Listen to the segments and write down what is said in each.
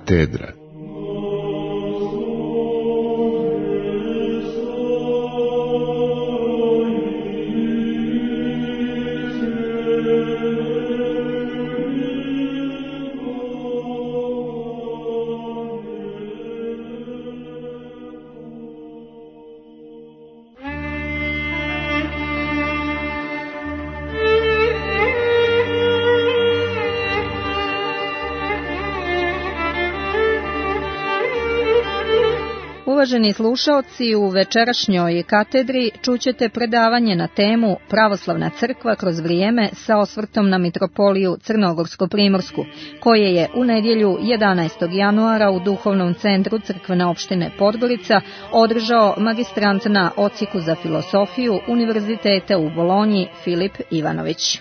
Katedra. Uvaženi slušaoci, u večerašnjoj katedri čućete predavanje na temu Pravoslavna crkva kroz vrijeme sa osvrtom na mitropoliju Crnogorsko-primorsku, koje je u nedjelju 11. januara u Duhovnom centru crkvene opštine Podgorica održao magistrant na odsjeku za filosofiju Univerziteta u Bolonji Filip Ivanović.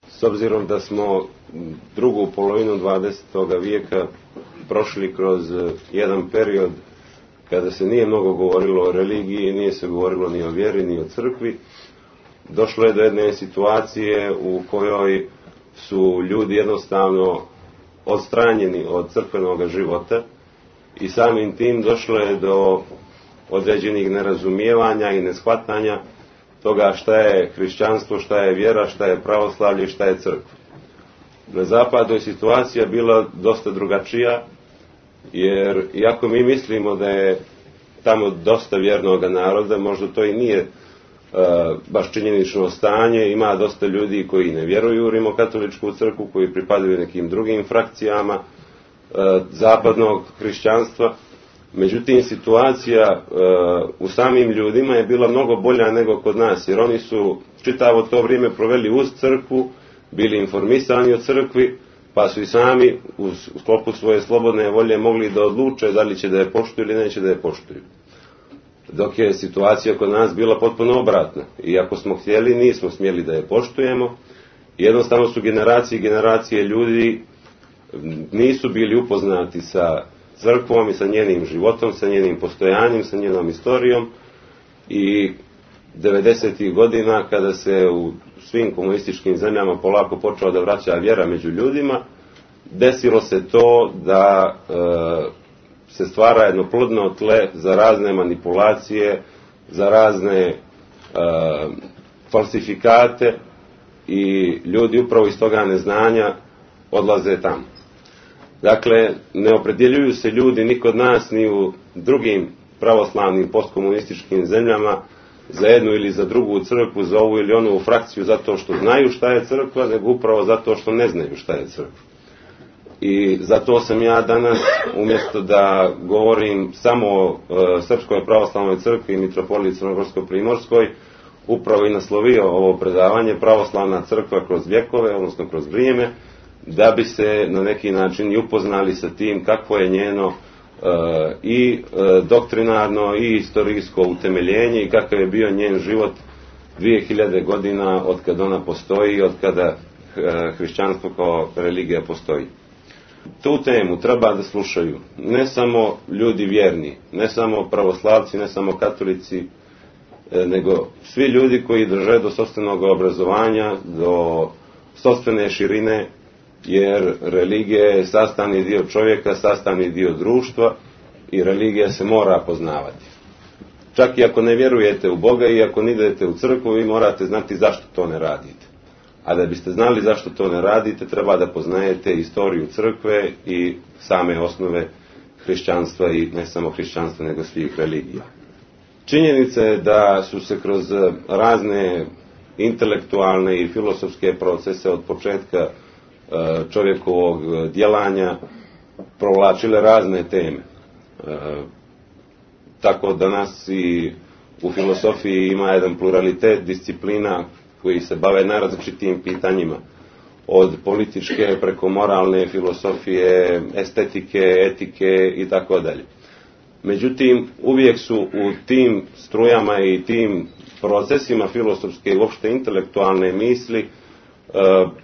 S obzirom da smo drugu polovinu 20. vijeka prošli kroz jedan period kada se nije mnogo govorilo o religiji, nije se govorilo ni o vjeri, ni o crkvi, došlo je do jedne situacije u kojoj su ljudi jednostavno odstranjeni od crkvenog života i samim tim došlo je do određenih nerazumijevanja i neshvatanja toga šta je hrišćanstvo, šta je vjera, šta je pravoslavlje, šta je crkva. Na zapadu je situacija bila dosta drugačija, jer iako mi mislimo da je tamo dosta vjernog naroda, možda to i nije baš činjenično stanje, ima dosta ljudi koji ne vjeruju u rimokatoličku crkvu, koji pripadaju nekim drugim frakcijama zapadnog hrišćanstva. Međutim, situacija u samim ljudima je bila mnogo bolja nego kod nas, jer oni su čitavo to vrijeme proveli uz crkvu, bili informisani o crkvi, pa su i sami u sklopu svoje slobodne volje mogli da odluče da li će da je poštuju ili neće da je poštuju. Dok je situacija kod nas bila potpuno obratna. I ako smo htjeli, nismo smjeli da je poštujemo. Jednostavno su generacije ljudi nisu bili upoznati sa crkvom i sa njenim životom, sa njenim postojanjem, sa njenom istorijom. I 90. godina, kada se u svim komunističkim zemljama polako počela da vraća vjera među ljudima, desilo se to da se stvara jedno plodno tle za razne manipulacije, za razne falsifikate i ljudi upravo iz toga neznanja odlaze tamo. Dakle, ne opredjeljuju se ljudi ni kod nas ni u drugim pravoslavnim postkomunističkim zemljama za jednu ili za drugu crkvu, za ovu ili onu frakciju zato što znaju šta je crkva, nego upravo zato što ne znaju šta je crkva. I zato sam ja danas, umjesto da govorim samo o Srpskoj pravoslavnoj crkvi i mitropoliji Crnogorsko-primorskoj, upravo i naslovio ovo predavanje Pravoslavna crkva kroz vjekove, odnosno kroz vrijeme, da bi se na neki način i upoznali sa tim kakvo je njeno i doktrinarno i istorijsko utemeljenje i kakav je bio njen život 2000 godina od kada ona postoji, od kada hrišćanstvo kao religija postoji. Tu temu treba da slušaju ne samo ljudi vjerni, ne samo pravoslavci, ne samo katolici, nego svi ljudi koji drže do sopstvenog obrazovanja, do sopstvene širine, jer religija je sastavni dio čovjeka, sastavni dio društva i religija se mora poznavati. Čak i ako ne vjerujete u Boga i ako ne idete u crkvu, vi morate znati zašto to ne radite. A da biste znali zašto to ne radite, treba da poznajete istoriju crkve i same osnove hrišćanstva i ne samo hrišćanstva, nego svih religija. Činjenica je da su se kroz razne intelektualne i filosofske procese od početka čovjekovog djelanja provlačile razne teme. Tako danas i u filosofiji ima jedan pluralitet disciplina koji se bave najrazličitijim pitanjima, od političke preko moralne filosofije, estetike, etike i tako dalje. Međutim, uvijek su u tim strujama i tim procesima filosofske i uopšte intelektualne misli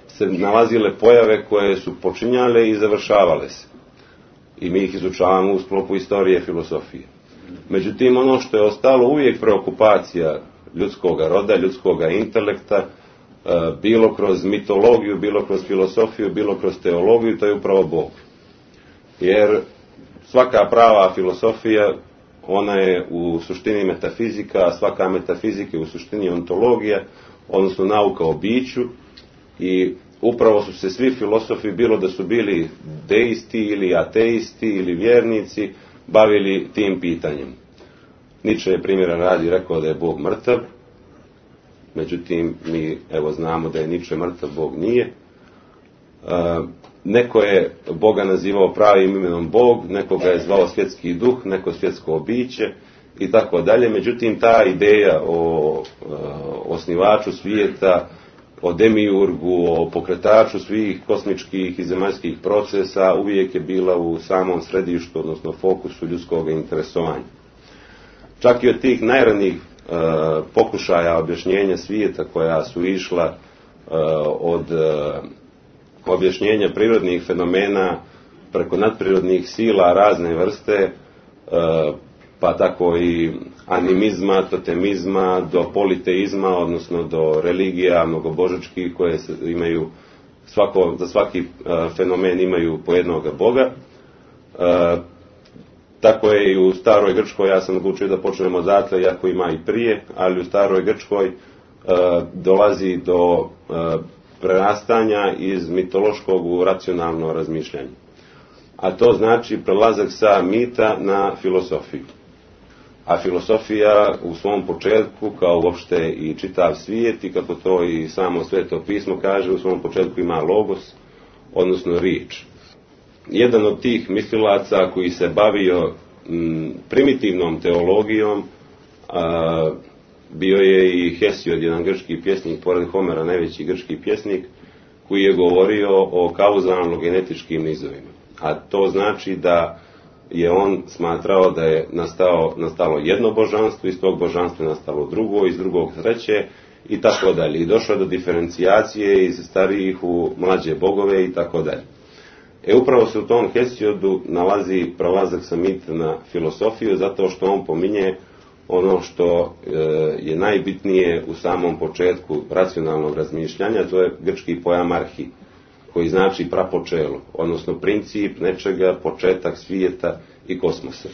se nalazile pojave koje su počinjale i završavale se. I mi ih izučavamo u sklopu istorije filosofije. Međutim, ono što je ostalo uvijek preokupacija ljudskoga roda, ljudskoga intelekta, bilo kroz mitologiju, bilo kroz filosofiju, bilo kroz teologiju, to je upravo Bog. Jer svaka prava filosofija, ona je u suštini metafizika, a svaka metafizika je u suštini ontologija, odnosno nauka o biću, i upravo su se svi filosofi, bilo da su bili deisti ili ateisti ili vjernici, bavili tim pitanjem. Nietzsche je primjera radi rekao da je Bog mrtav, međutim mi evo znamo da je Nietzsche mrtav, Bog nije. Neko je Boga nazivao pravim imenom Bog, nekoga je zvao svjetski duh, neko svjetsko biće i tako dalje. Međutim, ta ideja o osnivaču svijeta, o demiurgu, o pokretaču svih kosmičkih i zemaljskih procesa uvijek je bila u samom središtu, odnosno fokusu ljudskog interesovanja. Čak i od tih najranijih pokušaja objašnjenja svijeta koja su išla od objašnjenja prirodnih fenomena preko nadprirodnih sila razne vrste, pa tako i animizma, totemizma, do politeizma, odnosno do religija mnogobožačkih koje imaju za svaki fenomen imaju po jednoga Boga. Tako je i u staroj Grčkoj, ja sam odlučio da počnemo odatle, iako ima i prije, ali u staroj Grčkoj dolazi do prerastanja iz mitološkog u racionalno razmišljanje. A to znači prelazak sa mita na filosofiju. A filosofija u svom početku, kao uopšte i čitav svijet, i kako to i samo Sveto pismo kaže, u svom početku ima logos, odnosno riječ. Jedan od tih mislilaca koji se bavio primitivnom teologijom bio je i Hesiod, jedan grčki pjesnik, pored Homera najveći grčki pjesnik, koji je govorio o kauzalno-genetičkim nizovima. A to znači da je on smatrao da je nastalo jedno božanstvo, iz tog božanstva je nastalo drugo, iz drugog treće i tako dalje. I došlo do diferencijacije iz starijih u mlađe bogove i tako dalje. Upravo se u tom Hesiodu nalazi prelazak sa mita na filosofiju, zato što on pominje ono što je najbitnije u samom početku racionalnog razmišljanja, to je grčki pojam arhi, koji znači prapočelo, odnosno princip nečega, početak svijeta i kosmosa.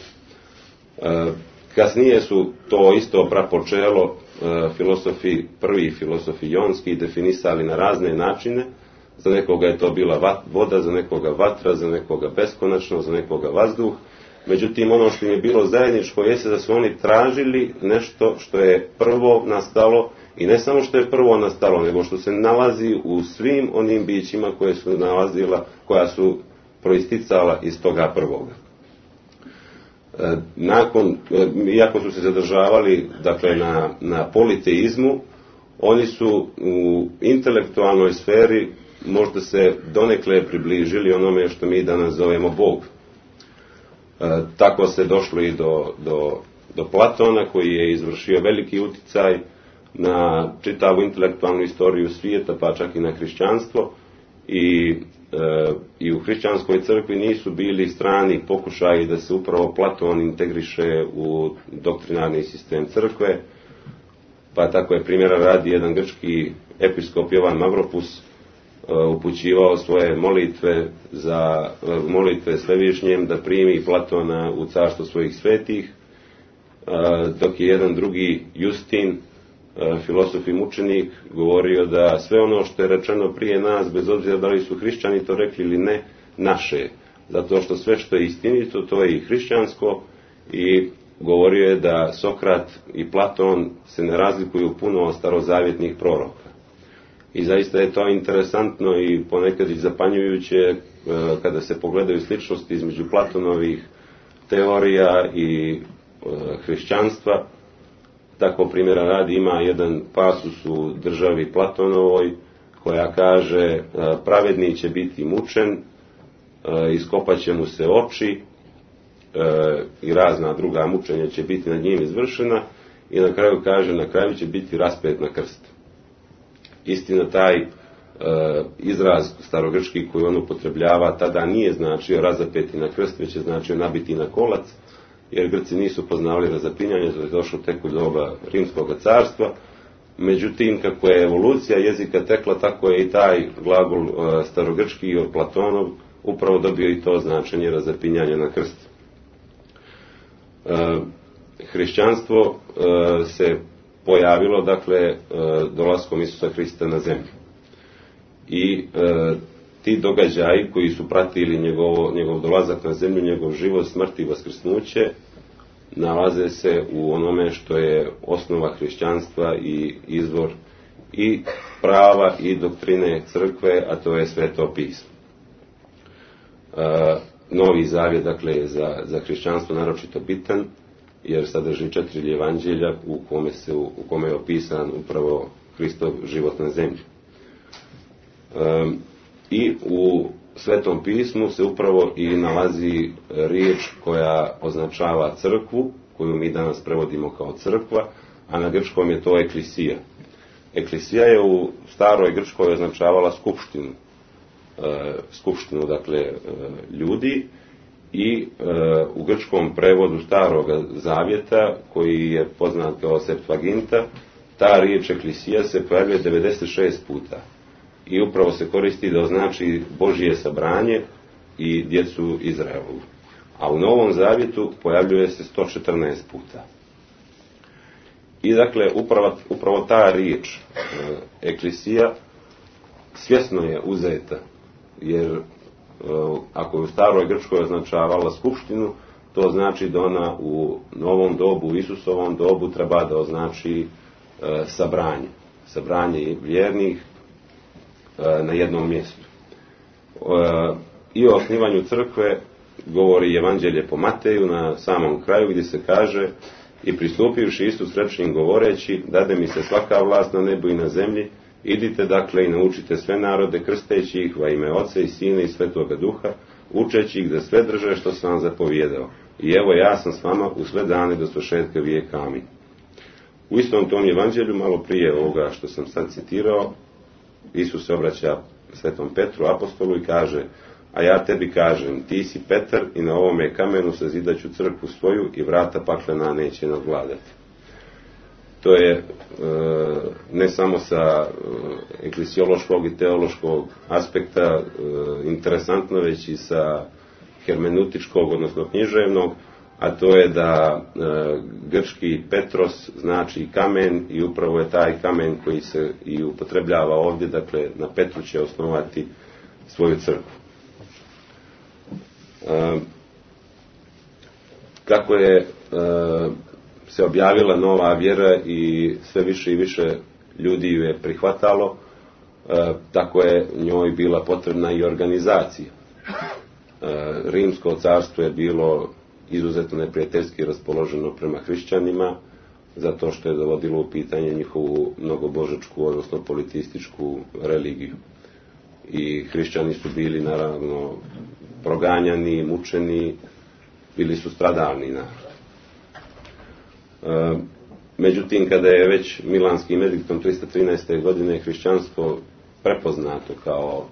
Kasnije su to isto prapočelo prvi filosofi jonski definisali na razne načine. Za nekoga je to bila voda, za nekoga vatra, za nekoga beskonačno, za nekoga vazduh. Međutim, ono što im je bilo zajedničko jeste da su oni tražili nešto što je prvo nastalo, i ne samo što je prvo nastalo, nego što se nalazi u svim onim bićima koja su proisticala iz toga prvoga. Iako su se zadržavali dakle, na politeizmu, oni su u intelektualnoj sferi možda se donekle približili onome što mi danas zovemo Bog. Tako se došlo i do Platona, koji je izvršio veliki uticaj na čitavu intelektualnu istoriju svijeta, pa čak i na hrišćanstvo. I u hrišćanskoj crkvi nisu bili strani pokušaji da se upravo Platon integriše u doktrinarni sistem crkve, pa tako je primjera radi jedan grčki episkop Jovan Mavropus upućivao svoje molitve Svevišnjem da primi Platona u carstvo svojih svetih, dok je jedan drugi Justin, filosof i mučenik, govorio da sve ono što je rečeno prije nas, bez obzira da li su hrišćani to rekli ili ne, naše. Zato što sve što je istinito, to je i hrišćansko, i govorio je da Sokrat i Platon se ne razlikuju puno od starozavjetnih proroka. I zaista je to interesantno i ponekad i zapanjujuće kada se pogledaju sličnosti između Platonovih teorija i hrišćanstva. Tako primjera radi ima jedan pasus u Državi Platonovoj koja kaže pravedni će biti mučen, iskopat će mu se oči i razna druga mučenja će biti nad njim izvršena, i na kraju kaže na kraju će biti raspet na krst. Istina, taj izraz starogrčki koji on upotrebljava tada nije značio razapeti na krst, već je značio nabiti na kolac, jer Grci nisu poznavali razapinjanje, to je došlo tek u doba Rimskog carstva, Međutim, kako je evolucija jezika tekla, tako je i taj glagol starogrčki od Platonov upravo dobio i to značenje razapinjanja na krst. Hrišćanstvo se pojavilo, dakle, dolaskom Isusa Hrista na zemlju. I ti događaji koji su pratili njegov dolazak na zemlju, njegov život, smrt i vaskrsnuće, nalaze se u onome što je osnova hrišćanstva i izvor i prava i doktrine crkve, a to je Sveto pismo. Novi zavjet, dakle, je za hrišćanstvo naročito bitan, jer sadrži 4 evanđelja u kome je opisan upravo Hristov život na zemlji. I u Svetom pismu se upravo i nalazi riječ koja označava crkvu, koju mi danas prevodimo kao crkva, a na grčkom je to eklisija. Eklisija je u staroj grčkoj označavala skupštinu, dakle, ljudi, i u grčkom prevodu starog zavjeta, koji je poznat kao Septuaginta, ta riječ eklisija se pojavljuje 96 puta. I upravo se koristi da označi Božje sabranje i djecu Izraelovu. A u Novom zavjetu pojavljuje se 114 puta. I dakle, upravo ta riječ, eklisija, svjesno je uzeta, jer ako je u staroj grčkoj označavala skupštinu, to znači da ona u novom dobu, u Isusovom dobu, treba da označi sabranje vjernih na jednom mjestu. I o osnivanju crkve govori Evanđelje po Mateju na samom kraju, gdje se kaže: i pristupivši Isus reče im govoreći, dade mi se svaka vlast na nebu i na zemlji, idite dakle i naučite sve narode, krsteći ih va ime Oca i Sina i Svetoga Duha, učeći ih da sve drže što sam vam zapovjedao. I evo, ja sam s vama u sve dane do svršetka vijeka. Amin. U istom tom evanđelju, malo prije ovoga što sam sad citirao, Isus se obraća Svetom Petru, apostolu, i kaže: a ja tebi kažem, ti si Petar i na ovome kamenu sazidaću crkvu svoju i vrata paklena neće nadvladati. To je ne samo sa eklesiološkog i teološkog aspekta interesantno, već i sa hermeneutičkog, odnosno književnog, a to je da grčki Petros znači kamen, i upravo je taj kamen koji se i upotrebljava ovdje, dakle na Petru će osnovati svoju crkvu. Kako je se objavila nova vjera i sve više i više ljudi ju je prihvatalo, tako je njoj bila potrebna i organizacija. Rimsko carstvo je bilo izuzetno neprijateljski raspoloženo prema hrišćanima, zato što je dovodilo u pitanje njihovu mnogobožačku, odnosno politističku religiju. I hrišćani su bili naravno proganjani, mučeni, bili su stradalni narod. Međutim, kada je već Milanskim ediktom 313. godine hrišćanstvo prepoznato kao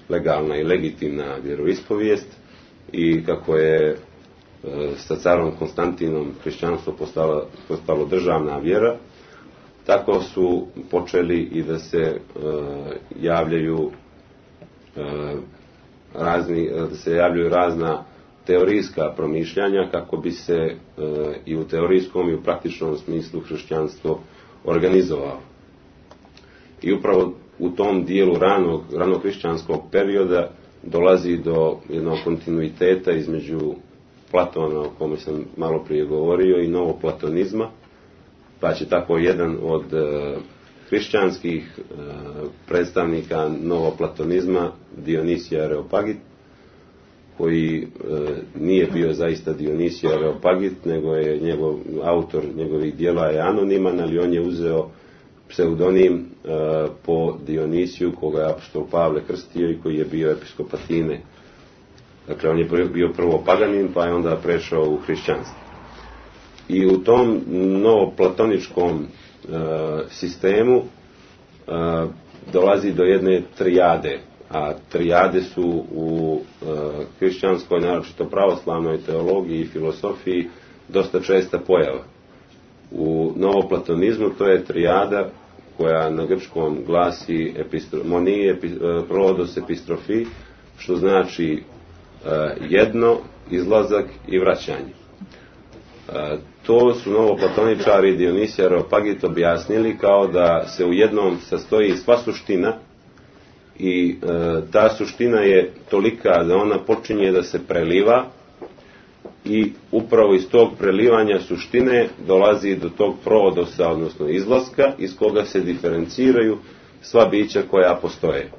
legalna i legitimna vjeroispovijest, i kako je sa carom Konstantinom hrišćanstvo postalo državna vjera, tako su počeli i da se javljaju razna teorijska promišljanja, kako bi se i u teorijskom i u praktičnom smislu hrišćanstvo organizovalo. I upravo u tom dijelu ranog hrišćanskog perioda dolazi do jednog kontinuiteta između Platona, o kome sam malo prije govorio, i novoplatonizma, pa će tako jedan od hrišćanskih predstavnika novoplatonizma, Dionisije Areopagit, koji nije bio zaista Dionisije Areopagit, nego je autor njegovih djela je anoniman, ali on je uzeo pseudonim po Dionisiju, koga je apostol Pavle krstio i koji je bio episkop Atine. Dakle, on je bio prvo paganin, pa je onda prešao u hrišćanstvo. I u tom novoplatoničkom sistemu dolazi do jedne trijade, a trijade su u hrišćanskoj, naročito pravoslavnoj teologiji i filosofiji, dosta česta pojava. U novoplatonizmu to je trijada koja na grčkom glasi monije, prodos, epistrofi, što znači jedno, izlazak i vraćanje. To su novoplatoničari Dionisije Areopagit objasnili kao da se u jednom sastoji sva suština i ta suština je tolika da ona počinje da se preliva i upravo iz tog prelivanja suštine dolazi do tog prodosa, odnosno izlaska, iz koga se diferenciraju sva bića koja postoje.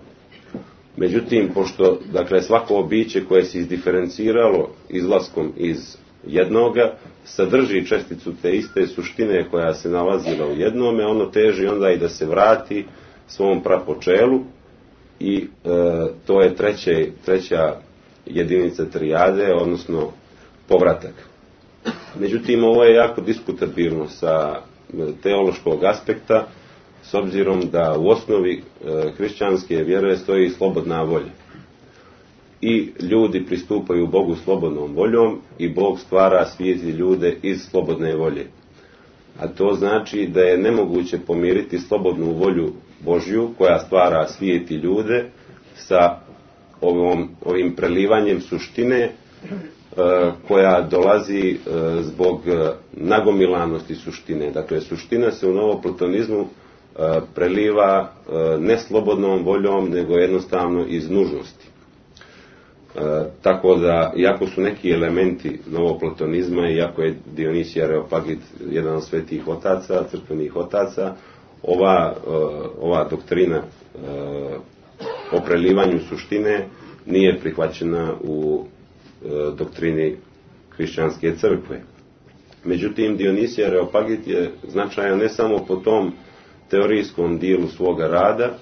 Međutim, pošto dakle, svako biće koje se izdiferenciralo izlaskom iz jednoga, sadrži česticu te iste suštine koja se nalazila u jednome, ono teži onda i da se vrati svom prapočelu i to je treća jedinica trijade, odnosno povratak. Međutim, ovo je jako diskutabilno sa teološkog aspekta, s obzirom da u osnovi hrišćanske vjere stoji slobodna volja. I ljudi pristupaju Bogu slobodnom voljom i Bog stvara svijet i ljude iz slobodne volje. A to znači da je nemoguće pomiriti slobodnu volju Božju koja stvara svijet i ljude sa ovim prelivanjem suštine koja dolazi zbog nagomilanosti suštine. Dakle, suština se u novoplatonizmu preliva ne slobodnom voljom, nego jednostavno iz nužnosti. Tako da, iako su neki elementi novoplatonizma, iako je Dionisije Areopagit jedan od svetih otaca, crkvenih otaca, ova doktrina o prelivanju suštine nije prihvaćena u doktrini hrišćanske crkve. Međutim, Dionisije Areopagit je značajan ne samo po tom teorijskom dijelu svoga rada,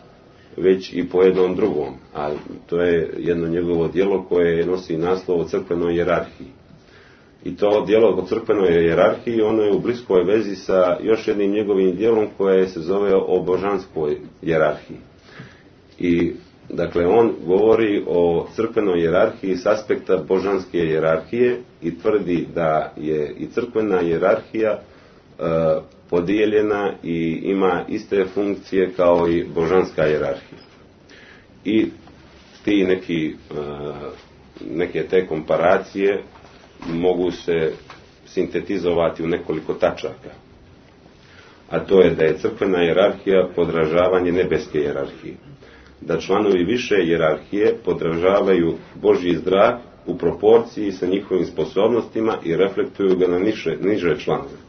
već i po jednom drugom, a to je jedno njegovo djelo koje nosi naslov o crkvenoj hijerarhiji. I to djelo o crkvenoj hijerarhiji, ono je u bliskoj vezi sa još jednim njegovim djelom koje se zove o božanskoj hijerarhiji. I dakle, on govori o crkvenoj hijerarhiji s aspekta božanske hijerarhije i tvrdi da je i crkvena hijerarhija podijeljena i ima iste funkcije kao i božanska hijerarhija. I ti neke te komparacije mogu se sintetizovati u nekoliko tačaka. A to je da je crkvena hijerarhija podražavanje nebeske hijerarhije. Da članovi više hijerarhije podražavaju Božji zrak u proporciji sa njihovim sposobnostima i reflektuju ga na niže članove.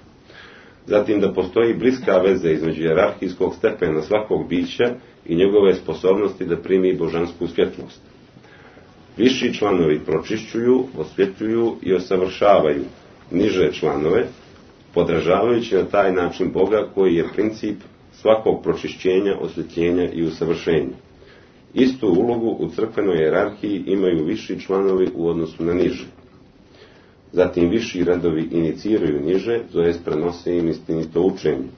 Zatim da postoji bliska veza između hijerarhijskog stepena svakog bića i njegove sposobnosti da primi božansku svjetlost. Viši članovi pročišćuju, osvjetljuju i usavršavaju niže članove, podražavajući na taj način Boga koji je princip svakog pročišćenja, osvjetljenja i usavršenja. Istu ulogu u crkvenoj hijerarhiji imaju viši članovi u odnosu na niže. Zatim viši redovi iniciraju niže, tj. prenose im istinito učenje.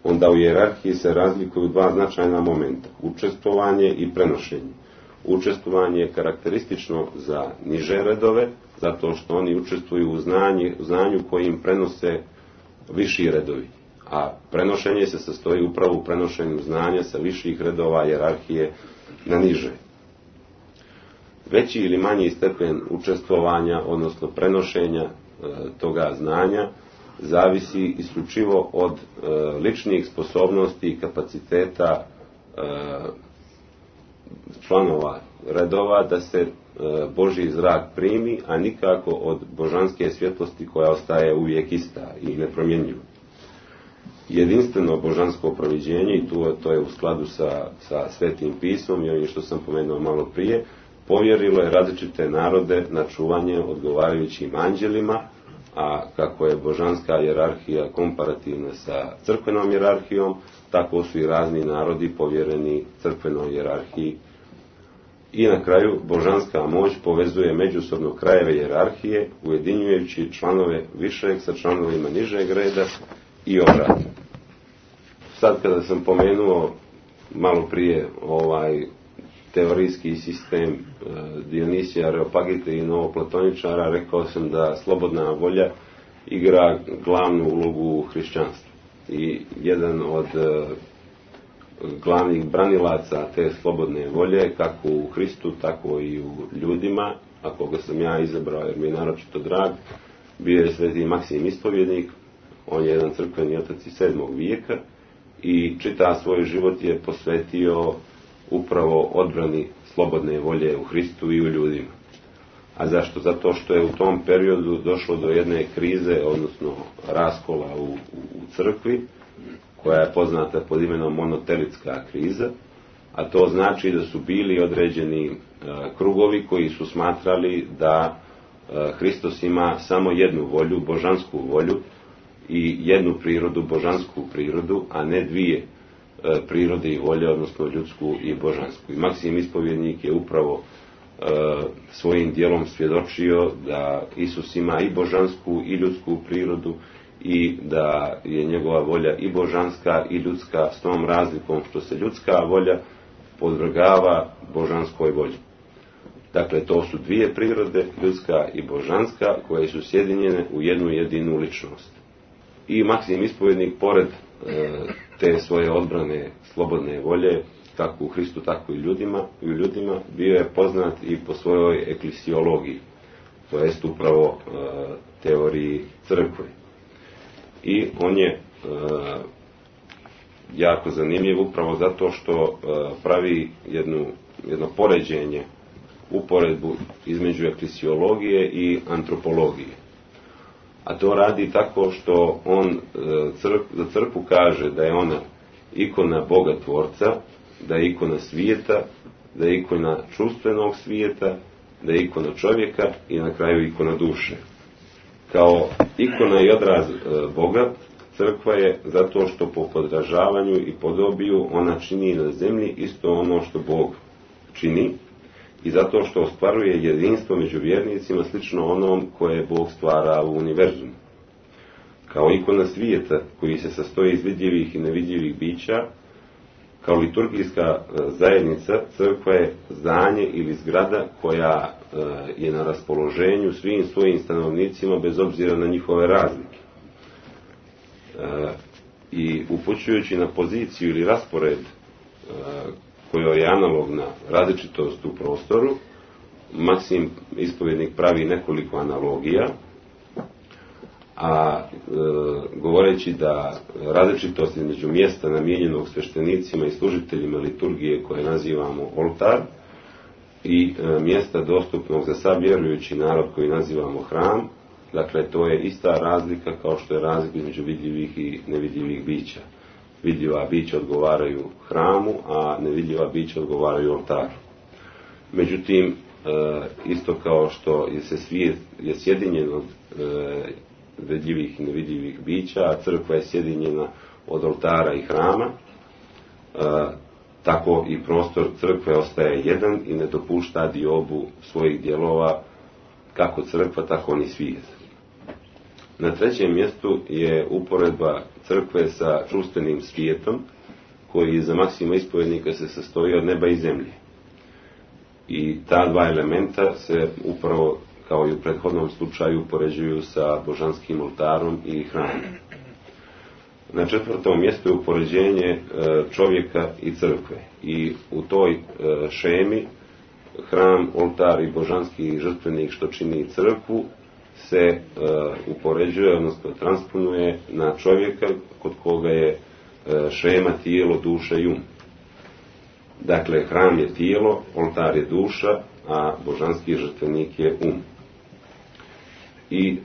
Onda u hijerarhiji se razlikuju dva značajna momenta, učestvovanje i prenošenje. Učestvovanje je karakteristično za niže redove, zato što oni učestvuju u znanju kojim prenose viši redovi. A prenošenje se sastoji upravo u prenošenju znanja sa viših redova hijerarhije na niže. Veći ili manji stepen učestvovanja, odnosno prenošenja toga znanja, zavisi isključivo od ličnih sposobnosti i kapaciteta članova redova da se Božji zrak primi, a nikako od božanske svjetlosti koja ostaje uvijek ista i nepromjenjiva. Jedinstveno božansko proviđenje, i to je u skladu sa Svetim pismom i ovim što sam pomenuo malo prije, povjerilo je različite narode na čuvanje odgovarajućim anđelima, a kako je božanska hijerarhija komparativna sa crkvenom hijerarhijom, tako su i razni narodi povjereni crkvenoj hijerarhiji. I na kraju, božanska moć povezuje međusobno krajeve hijerarhije, ujedinjujući članove višeg sa članovima nižeg reda i obratno. Sad kada sam pomenuo malo prije teorijski sistem Dionisija Areopagita i novoplatoničara, rekao sam da slobodna volja igra glavnu ulogu u hrišćanstvu. I jedan od glavnih branilaca te slobodne volje, kako u Hristu, tako i u ljudima, a koga sam ja izabrao jer mi je naročito drag, bio je sveti Maksim Ispovjednik. On je jedan crkveni otac iz 7. vijeka i čitav svoj život je posvetio upravo odbrani slobodne volje u Hristu i u ljudima. A zašto? Zato što je u tom periodu došlo do jedne krize, odnosno raskola u crkvi, koja je poznata pod imenom monotelitska kriza, a to znači da su bili određeni krugovi koji su smatrali da Hristos ima samo jednu volju, božansku volju, i jednu prirodu, božansku prirodu, a ne dvije prirode i volje, odnosno ljudsku i božansku. I Maksim Ispovjednik je upravo svojim djelom svjedočio da Isus ima i božansku i ljudsku prirodu i da je njegova volja i božanska i ljudska, s tom razlikom što se ljudska volja podvrgava božanskoj volji. Dakle, to su dvije prirode, ljudska i božanska, koje su sjedinjene u jednu jedinu ličnost. I Maksim Ispovjednik, pored te svoje odbrane slobodne volje, kako u Hristu, tako i u ljudima, bio je poznat i po svojoj eklesiologiji, to jest upravo teoriji crkve. I on je jako zanimljiv upravo zato što pravi jedno poređenje, uporedbu između eklesiologije i antropologije. A to radi tako što on za crkvu kaže da je ona ikona Boga Tvorca, da je ikona svijeta, da je ikona čustvenog svijeta, da je ikona čovjeka i na kraju ikona duše. Kao ikona i odraz Boga, crkva je zato što po podražavanju i podobiju ona čini na zemlji isto ono što Bog čini, i zato što ostvaruje jedinstvo među vjernicima slično onom koje Bog stvara u univerzumu. Kao ikona svijeta koji se sastoji iz vidljivih i nevidljivih bića, kao liturgijska zajednica, crkva je zdanje ili zgrada koja je na raspoloženju svim svojim stanovnicima bez obzira na njihove razlike. I upućujući na poziciju ili raspored kojoj je analogna različitost u prostoru, Maksim Ispovjednik pravi nekoliko analogija, a govoreći da različitost između mjesta namijenjenog sveštenicima i služiteljima liturgije koje nazivamo oltar i mjesta dostupnog za sav vjerujući narod koji nazivamo hram, dakle to je ista razlika kao što je razlika između vidljivih i nevidljivih bića. Vidljiva bića odgovaraju hramu, a nevidljiva bića odgovaraju oltaru. Međutim, isto kao što je svijet je sjedinjen od vidljivih i nevidljivih bića, a crkva je sjedinjena od oltara i hrama, tako i prostor crkve ostaje jedan i ne dopušta diobu svojih dijelova, kako crkva, tako ni svijet. Na trećem mjestu je uporedba crkve sa čustvenim svijetom, koji za Maksima Ispovjednika se sastoji od neba i zemlje. I ta dva elementa se upravo, kao i u prethodnom slučaju, upoređuju sa božanskim oltarom i hramom. Na četvrtom mjestu je upoređenje čovjeka i crkve. I u toj šemi hram, oltar i božanski žrtvenik što čini crkvu se upoređuje, odnosno transponuje na čovjeka kod koga je šema tijelo, duša i um. Dakle, hram je tijelo, oltar je duša, a božanski žrtvenik je um. I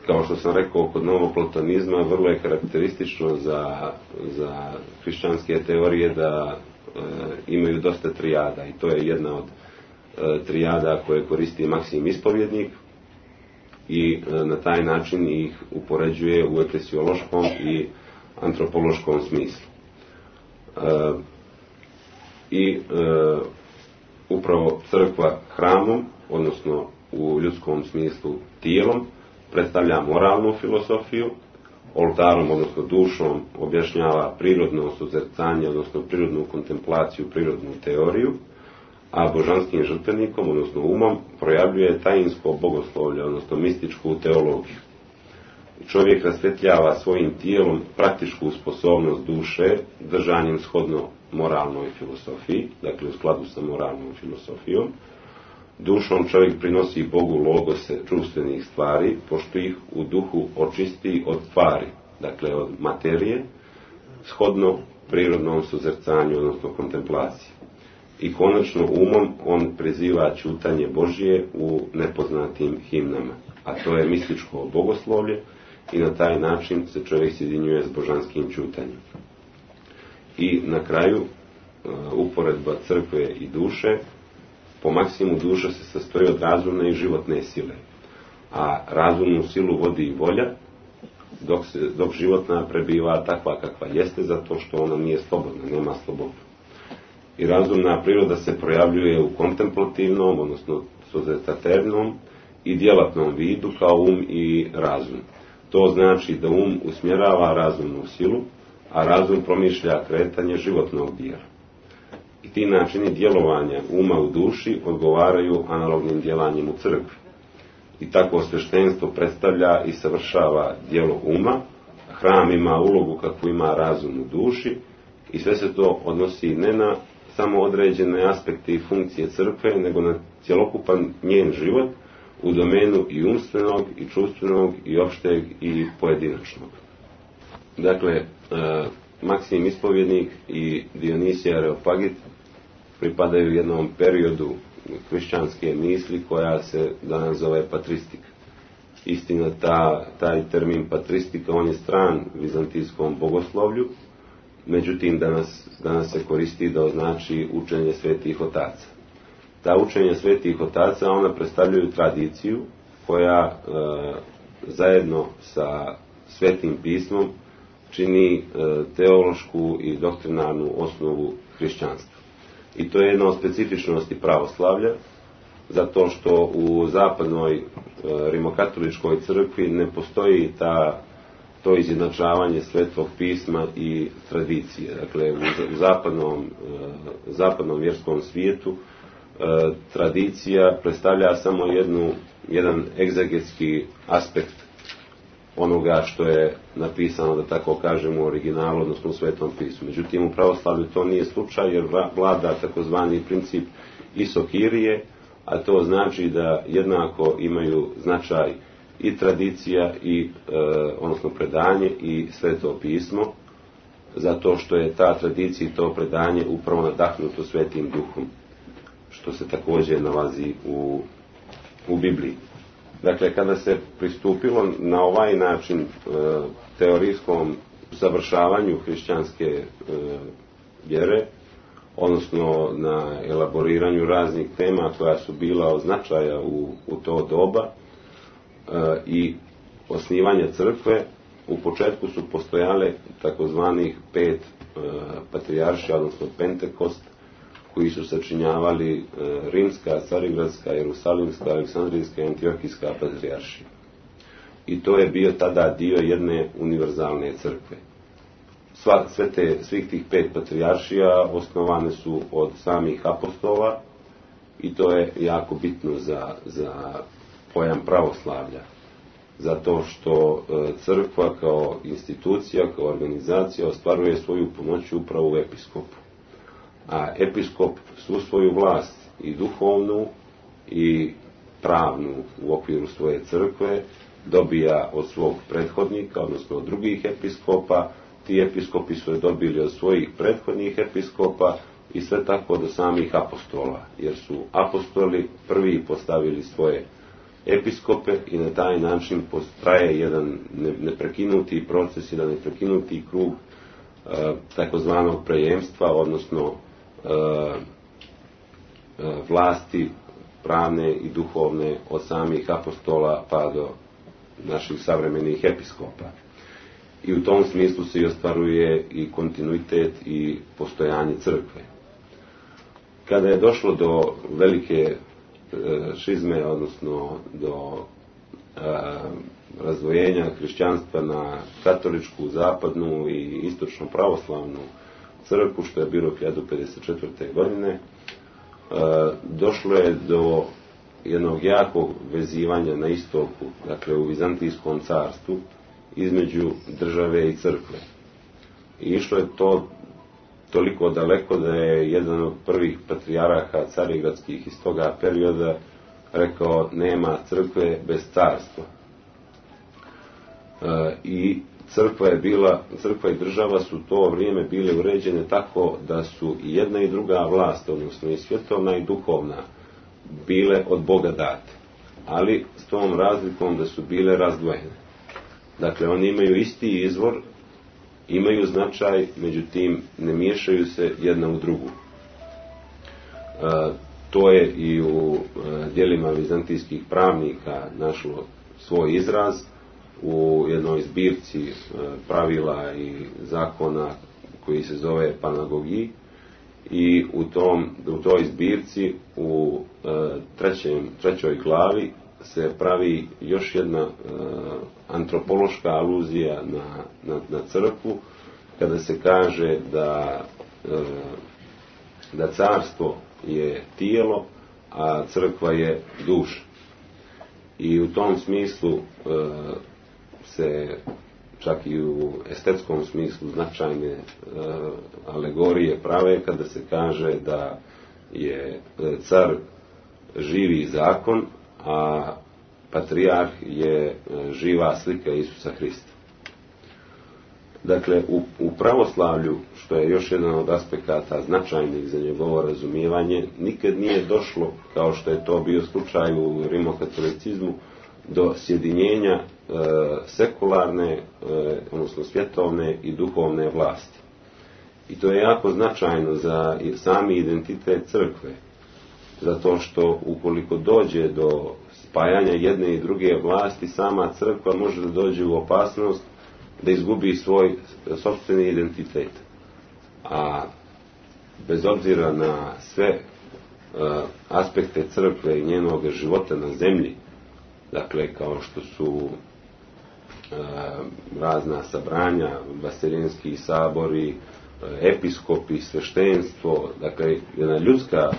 kao što sam rekao, kod novoplatonizma vrlo je karakteristično za hrišćanske teorije da imaju dosta trijada, i to je jedna od trijada koje koristi Maksim Ispovjednik i na taj način ih upoređuje u eklesiološkom i antropološkom smislu. Upravo crkva hramom, odnosno u ljudskom smislu tijelom, predstavlja moralnu filosofiju, oltarom, odnosno dušom, objašnjava prirodno suzrcanje, odnosno prirodnu kontemplaciju, prirodnu teoriju, a božanskim žrtvenikom, odnosno umom, projavljuje tajinsko bogoslovlje, odnosno mističku teologiju. Čovjek rasvetljava svojim tijelom praktičku sposobnost duše, držanjem shodno moralnoj filosofiji, dakle u skladu sa moralnom filosofijom. Dušom čovjek prinosi Bogu logose čuvstvenih stvari, pošto ih u duhu očisti od stvari, dakle od materije, shodno prirodnom suzrcanju, odnosno kontemplaciji. I konačno umom on priziva ćutanje Božje u nepoznatim himnama, a to je mističko bogoslovlje, i na taj način se čovjek sjedinjuje s božanskim ćutanjem. I na kraju, uporedba crkve i duše, po maksimu duša se sastoji od razumne i životne sile, a razumnu silu vodi i volja, dok životna prebiva takva kakva jeste, zato što ona nije slobodna, nema slobodu. I razumna priroda se projavljuje u kontemplativnom, odnosno sozretaternom i djelatnom vidu kao um i razum. To znači da um usmjerava razumnu silu, a razum promišlja kretanje životnog dijela. I ti načini djelovanja uma u duši odgovaraju analognim djelanjem u crkvi. I tako sveštenstvo predstavlja i savršava djelo uma, hram ima ulogu kakvu ima razum u duši, i sve se to odnosi ne na samo određene aspekte i funkcije crkve, nego na cjelokupan njen život u domenu i umstvenog, i čuvstvenog, i opšteg, i pojedinačnog. Dakle, Maksim Ispovjednik i Dionisije Areopagit pripadaju jednom periodu hrišćanske misli koja se danas zove patristika. Istina, taj termin patristika, on je stran vizantijskom bogoslovlju, međutim danas se koristi da označi učenje svetih otaca. Ta učenja svetih otaca, ona predstavljaju tradiciju koja zajedno sa svetim pismom čini teološku i doktrinarnu osnovu hrišćanstva. I to je jedna od specifičnosti pravoslavlja, zato što u zapadnoj rimokatoličkoj crkvi ne postoji to izjednačavanje svetog pisma i tradicije. Dakle, u zapadnom vjerskom svijetu tradicija predstavlja samo jedan egzegetski aspekt onoga što je napisano, da tako kažemo, u originalu, odnosno u svetom pismu. Međutim, u pravoslavlju to nije slučaj, jer vlada takozvani princip isokirije, a to znači da jednako imaju značaj i tradicija, odnosno predanje, i sveto pismo, zato što je ta tradicija i to predanje upravo nadahnuto svetim duhom, što se također nalazi u Bibliji. Dakle, kada se pristupilo na ovaj način teorijskom završavanju hrišćanske vjere, odnosno na elaboriranju raznih tema koja su bila od značaja u to doba, i osnivanja crkve, u početku su postojale takozvanih 5 patrijaršija, odnosno Pentekost, koji su sačinjavali rimska, carigradska, jerusalimska, aleksandrijska i antiokijska patrijaršija. I to je bio tada dio jedne univerzalne crkve. Svih tih 5 patrijaršija osnovane su od samih apostola, i to je jako bitno za pojam pravoslavlja. Zato što crkva kao institucija, kao organizacija ostvaruje svoju punoću upravo u episkopu. A episkop svu svoju vlast, i duhovnu i pravnu u okviru svoje crkve, dobija od svog prethodnika, odnosno od drugih episkopa. Ti episkopi su je dobili od svojih prethodnih episkopa, i sve tako do samih apostola, jer su apostoli prvi postavili svoje episkope, i na taj način potraje jedan neprekinuti proces, jedan neprekinuti krug takozvanog prejemstva, odnosno vlasti pravne i duhovne od samih apostola pa do naših savremenih episkopa. I u tom smislu se i ostvaruje i kontinuitet i postojanje crkve. Kada je došlo do velike šizme, odnosno do razdvojenja hrišćanstva na katoličku, zapadnu i istočno pravoslavnu crkvu, što je bilo 1054. godine, došlo je do jednog jakog vezivanja na istoku, dakle u Vizantijskom carstvu, između države i crkve. I išlo je to toliko daleko da je jedan od prvih patrijaraha carigradskih iz toga perioda rekao: nema crkve bez carstva. I crkva i država su to vrijeme bile uređene tako da su i jedna i druga vlast, odnosno i svjetovna i duhovna, bile od Boga date, ali s tom razlikom da su bile razdvojene. Dakle, oni imaju isti izvor, imaju značaj, međutim ne miješaju se jedna u drugu. To je i u djelima vizantijskih pravnika našlo svoj izraz u jednoj zbirci pravila i zakona koji se zove Panagogiji, i u toj zbirci u trećoj glavi se pravi još jedna antropološka aluzija na crkvu, kada se kaže da carstvo je tijelo, a crkva je duša. I u tom smislu se čak i u estetskom smislu značajne alegorije prave kada se kaže da je car živi zakon, a patrijarh je živa slika Isusa Hrista. Dakle, u pravoslavlju, što je još jedan od aspekata značajnih za njegovo razumijevanje, nikad nije došlo, kao što je to bio slučaj u rimokatolicizmu, do sjedinjenja sekularne, odnosno svjetovne i duhovne vlasti. I to je jako značajno za sami identitet crkve, zato što ukoliko dođe do spajanja jedne i druge vlasti, sama crkva može da dođe u opasnost da izgubi svoj sopstveni identitet. A bez obzira na sve aspekte crkve i njenog života na zemlji, dakle kao što su razna sabranja, vaseljenski sabori, episkopi, sveštenstvo, dakle jedna ljudska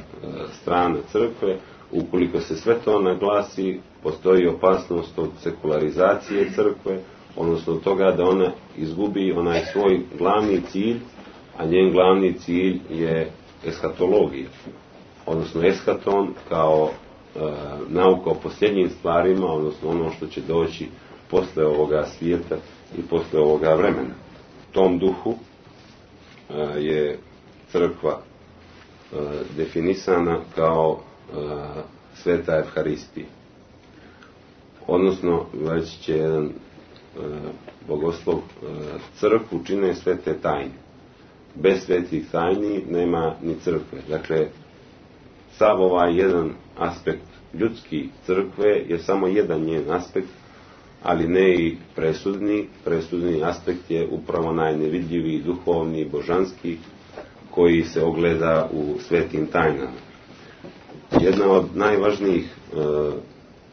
strana crkve, ukoliko se sve to naglasi, postoji opasnost od sekularizacije crkve, odnosno od toga da ona izgubi onaj svoj glavni cilj, a njen glavni cilj je eskatologija, odnosno eskaton kao nauka o posljednjim stvarima, odnosno ono što će doći posle ovoga svijeta i posle ovoga vremena. U tom duhu je crkva definisana kao sveta Evharistija. Odnosno, već će jedan bogoslov, crkvu čine svete tajne. Bez svetih tajni nema ni crkve. Dakle, sav ovaj jedan aspekt ljudski crkve je samo jedan njen aspekt, ali ne i presudni. Presudni aspekt je upravo najnevidljiviji, duhovni, božanski, koji se ogleda u svetim tajnama. Jedna od najvažnijih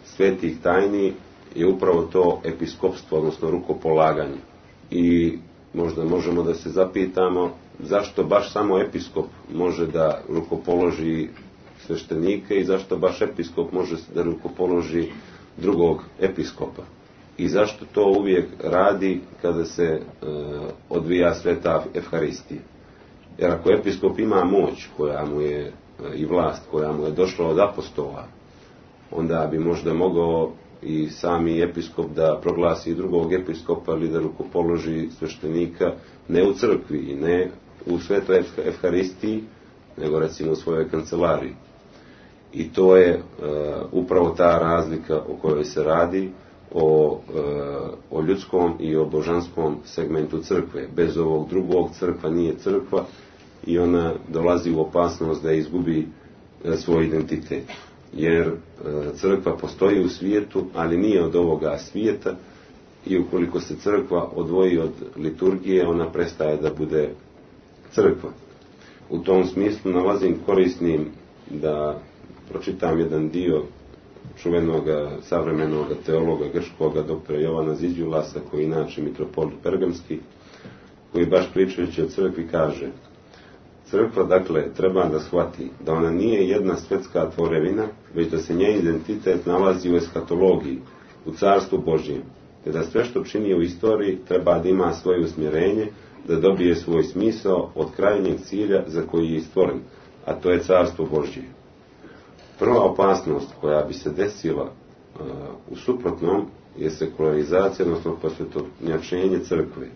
svetih tajni je upravo to episkopstvo, odnosno rukopolaganje. I možda možemo da se zapitamo zašto baš samo episkop može da rukopoloži sveštenike i zašto baš episkop može da rukopoloži drugog episkopa. I zašto to uvijek radi kada se odvija sveta Evharistija. Jer ako episkop ima moć koja mu je i vlast koja mu je došla od apostola, onda bi možda mogao i sami episkop da proglasi drugog episkopa ili da rukopoloži sveštenika ne u crkvi i ne u svetoj Evharistiji, nego recimo u svojoj kancelariji. I to je upravo ta razlika o kojoj se radi, o ljudskom i o božanskom segmentu crkve. Bez ovog drugog crkva nije crkva i ona dolazi u opasnost da izgubi svoj identitet. Jer crkva postoji u svijetu, ali nije od ovoga svijeta, i ukoliko se crkva odvoji od liturgije, ona prestaje da bude crkva. U tom smislu nalazim korisnim da pročitam jedan dio čuvenog savremenog teologa grčkoga doktora Jovana Ziđulasa, koji je inače mitropolit Pergamski, koji baš pričajući o crkvi kaže: Crkva, dakle, treba da shvati da ona nije jedna svjetska tvorevina, već da se njen identitet nalazi u eskatologiji, u carstvu Božjem, te da sve što čini u istoriji treba da ima svoje usmjerenje, da dobije svoj smisao od krajnjeg cilja za koji je stvoren, a to je carstvo Božje. Prva opasnost koja bi se desila u suprotnom je sekularizacija, odnosno posvjetovnjačenje crkve.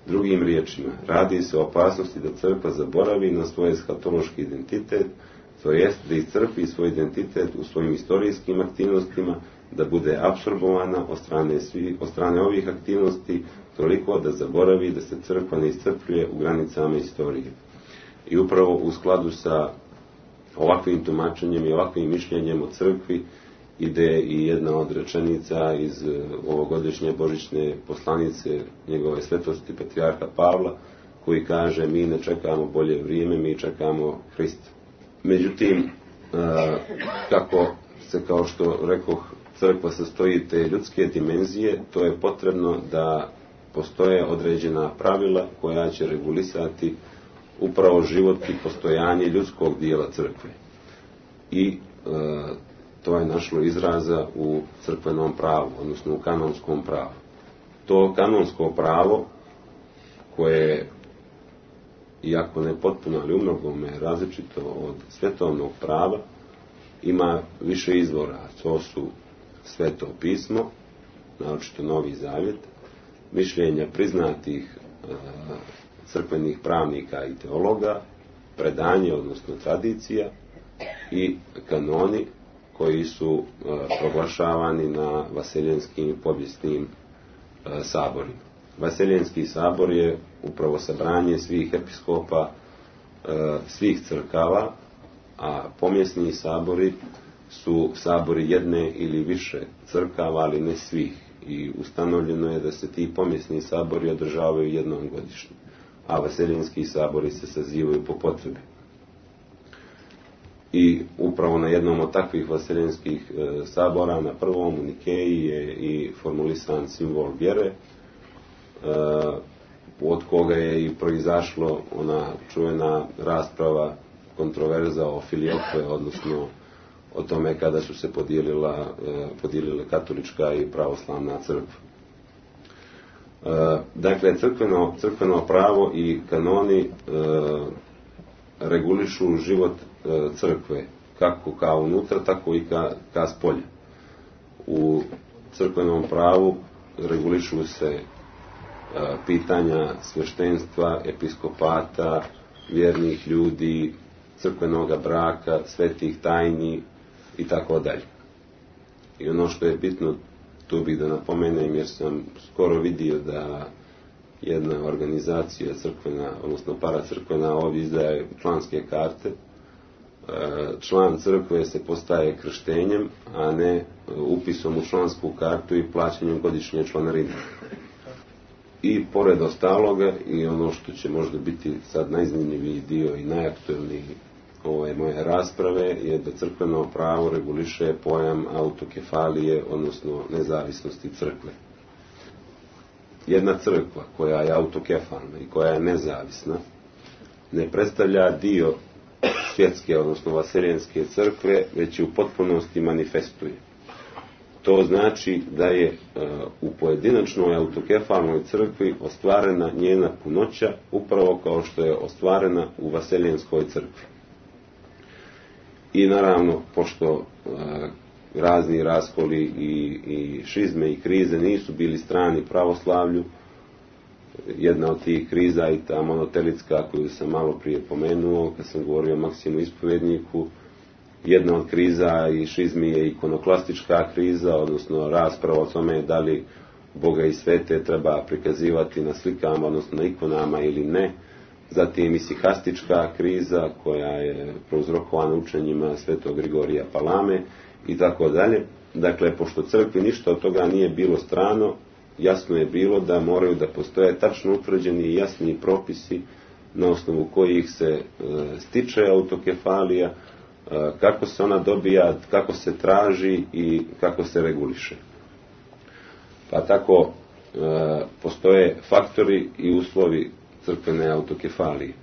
Drugim riječima, radi se o opasnosti da crkva zaboravi na svoj eskatološki identitet, to jest da iscrpi svoj identitet u svojim istorijskim aktivnostima, da bude apsorbovana od strane ovih aktivnosti toliko da zaboravi da se crkva ne iscrpljuje u granicama istorije. I upravo u skladu sa ovakvim tumačenjem i ovakvim mišljenjem o crkvi ide i jedna od rečenica iz ovogodišnje božićne poslanice njegove svetosti patrijarha Pavla, koji kaže: mi ne čekamo bolje vrijeme, mi čekamo Hrista. Međutim, kako se, kao što rekoh, crkva sastoji te ljudske dimenzije, to je potrebno da postoje određena pravila koja će regulisati upravo život i postojanje ljudskog dijela crkve. I to je našlo izraza u crkvenom pravu, odnosno u kanonskom pravu. To kanonsko pravo, koje, iako ne potpuno, ali umnogome različito od svetovnog prava, ima više izvora. To su Sveto pismo, naročito Novi Zavjet, mišljenja priznatih crkvenih pravnika i teologa, predanje, odnosno tradicija, i kanoni koji su proglašavani na vaseljenskim i povijesnim saborima. Vaseljenski sabor je upravo sabranje svih episkopa svih crkava, a pomjesni sabori su sabori jedne ili više crkava, ali ne svih. I ustanovljeno je da se ti pomjesni sabori održavaju jednom godišnje, a vaseljenski sabori se sazivaju po potrebi. I upravo na jednom od takvih vaseljenskih sabora, na prvom u Nikeji, je i formulisan simbol vjere, od koga je i proizašlo ona čuvena rasprava, kontroverza o filioque, odnosno o tome kada su se podijelile katolička i pravoslavna crkva. Dakle, crkveno pravo i kanoni regulišu život crkve, kako ka unutra, tako i ka spolja. U crkvenom pravu regulišu se pitanja sveštenstva, episkopata, vjernih ljudi, crkvenoga braka, svetih tajni i tako dalje. I ono što je bitno, tu bih da napomenem, jer sam skoro vidio da jedna organizacija crkvena, odnosno paracrkvena, ovdje izdaje članske karte. Član crkve se postaje krštenjem, a ne upisom u člansku kartu i plaćanjem godišnje članarine. I pored ostaloga, i ono što će možda biti sad najzanimljiviji dio i najaktuelniji ove moje rasprave, je da crkveno pravo reguliše pojam autokefalije, odnosno nezavisnosti crkve. Jedna crkva koja je autokefalna i koja je nezavisna ne predstavlja dio svjetske, odnosno vaseljenske crkve, već je u potpunosti manifestuje. To znači da je u pojedinačnoj autokefalnoj crkvi ostvarena njena punoća, upravo kao što je ostvarena u vaseljenskoj crkvi. I naravno, pošto razni raskoli i šizme i krize nisu bili strani pravoslavlju, jedna od tih kriza i ta monotelitska koju sam malo prije pomenuo kad sam govorio o Maksimu Ispovjedniku, jedna od kriza i šizmi je ikonoklastička kriza, odnosno rasprava o tome da li Boga i svete treba prikazivati na slikama, odnosno na ikonama ili ne. Zatim isihastička kriza koja je prouzrokovana učenjima svetog Grigorija Palame i tako dalje. Dakle, pošto crkvi ništa od toga nije bilo strano, jasno je bilo da moraju da postoje tačno utvrđeni i jasni propisi na osnovu kojih se stiče autokefalija, kako se ona dobija, kako se traži i kako se reguliše. Pa tako postoje faktori i uslovi crkvene autokefalije.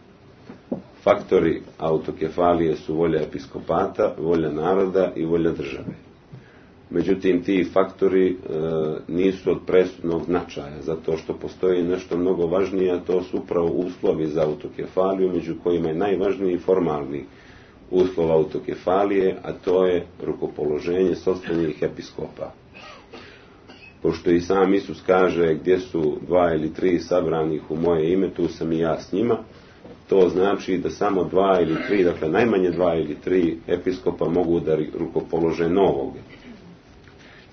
faktori autokefalije su volja episkopata, volja naroda i volja države. Međutim, ti faktori nisu od presudnog značaja, zato što postoji nešto mnogo važnije, a to su upravo uslovi za autokefaliju, među kojima je najvažniji formalni uslov autokefalije, a to je rukopoloženje sopstvenih episkopa. Pošto i sam Isus kaže gdje su 2 ili 3 sabranih u moje ime, tu sam i ja s njima, to znači da samo 2 ili 3, dakle najmanje 2 ili 3 episkopa mogu da rukopolože novog.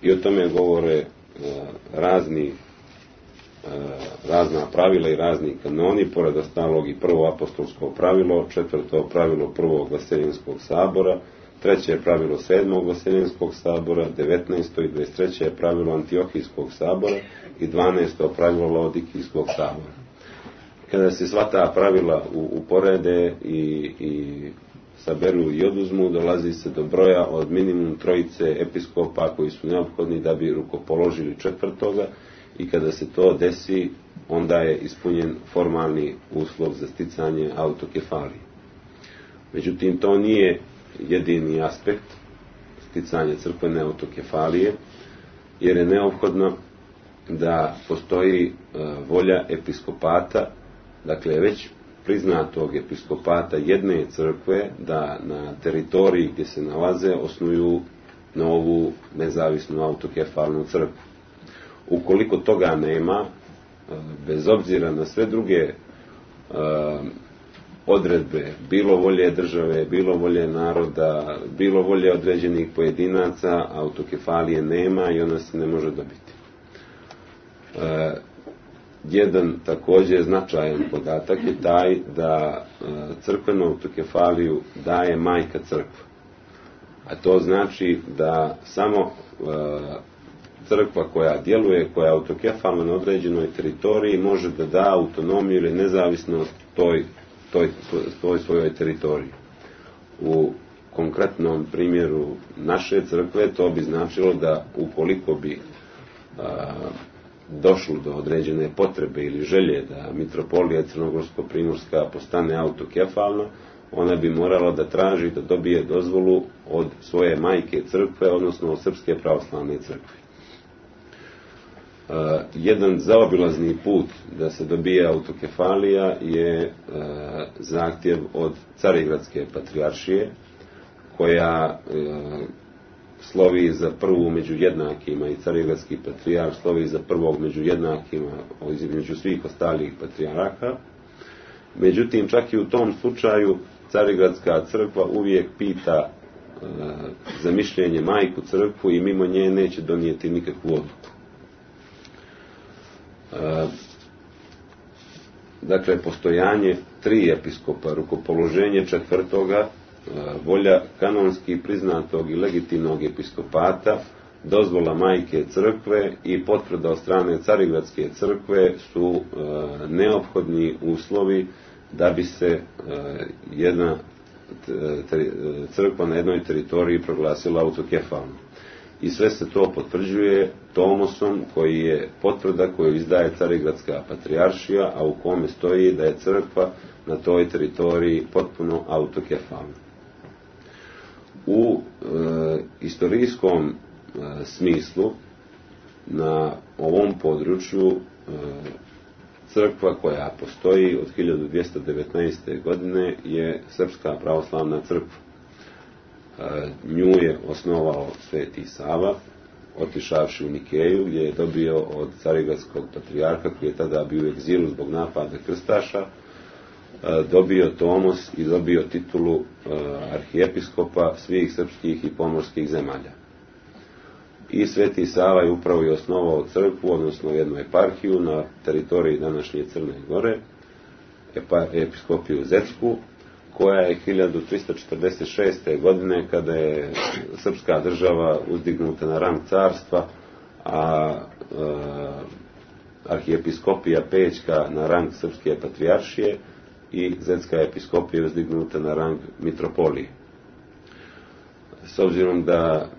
I o tome govore razna pravila i razni kanoni, pored ostalog i prvo apostolsko pravilo, četvrto pravilo prvog Vaseljenskog sabora, treće pravilo 7. Vaseljenskog sabora, 19. i 23. pravilo Antiohijskog sabora i 12. pravilo Laodikijskog sabora. Kada se sva ta pravila uporede i saberu i oduzmu, dolazi se do broja od minimum 3 episkopa koji su neophodni da bi rukopoložili 4. i kada se to desi, onda je ispunjen formalni uslov za sticanje autokefalije. Međutim, to nije jedini aspekt sticanja crkvene autokefalije, jer je neophodno da postoji volja episkopata, dakle već priznatog episkopata jedne crkve, da na teritoriji gdje se nalaze osnuju novu nezavisnu autokefalnu crkvu. Ukoliko toga nema, bez obzira na sve druge odredbe, bilo volje države, bilo volje naroda, bilo volje određenih pojedinaca, autokefalije nema i ona se ne može dobiti. Jedan također značajan podatak je taj da crkvenu autokefaliju daje majka crkva. A to znači da samo crkva koja djeluje, koja je autokefalna na određenoj teritoriji, može da da autonomiju ili nezavisnost toj svojoj teritoriji. U konkretnom primjeru naše crkve to bi značilo da ukoliko bi došlo do određene potrebe ili želje da mitropolija Crnogorsko-Primorska postane autokefalna, ona bi morala da traži da dobije dozvolu od svoje majke crkve, odnosno od Srpske pravoslavne crkve. Jedan zaobilazni put da se dobije autokefalija je zahtjev od Carigradske patrijaršije, koja slovi za prvu među jednakima i Carigradski patrijarh slovi za prvog među jednakima između svih ostalih patrijaraka. Međutim, čak i u tom slučaju Carigradska crkva uvijek pita za mišljenje majku crkvu i mimo nje neće donijeti nikakvu odluku. Dakle, postojanje 3 episkopa, rukopoloženje 4. volja kanonski priznatog i legitimnog episkopata, dozvola majke crkve i potvrda od strane Carigradske crkve su neophodni uslovi da bi se jedna crkva na jednoj teritoriji proglasila autokefalnom. I sve se to potvrđuje tomosom koji je potvrda koju izdaje Carigradska patrijaršija, a u kome stoji da je crkva na toj teritoriji potpuno autokefalna. U istorijskom smislu na ovom području crkva koja postoji od 1219. godine je Srpska pravoslavna crkva. Nju je osnovao Sveti Sava, otišavši u Nikeju, gdje je dobio od Carigradskog patrijarha, koji je tada bio u egzilu zbog napada krstaša, dobio tomos i dobio titulu arhijepiskopa svih srpskih i pomorskih zemalja. I Sveti Sava je upravo i osnovao crkvu, odnosno jednu eparhiju na teritoriji današnje Crne Gore, episkopiju Zetsku, koja je 1346. godine, kada je srpska država uzdignuta na rang carstva, a arhijepiskopija Pećka na rang srpske patrijaršije i Zetska episkopija je uzdignuta na rang mitropolije. S obzirom da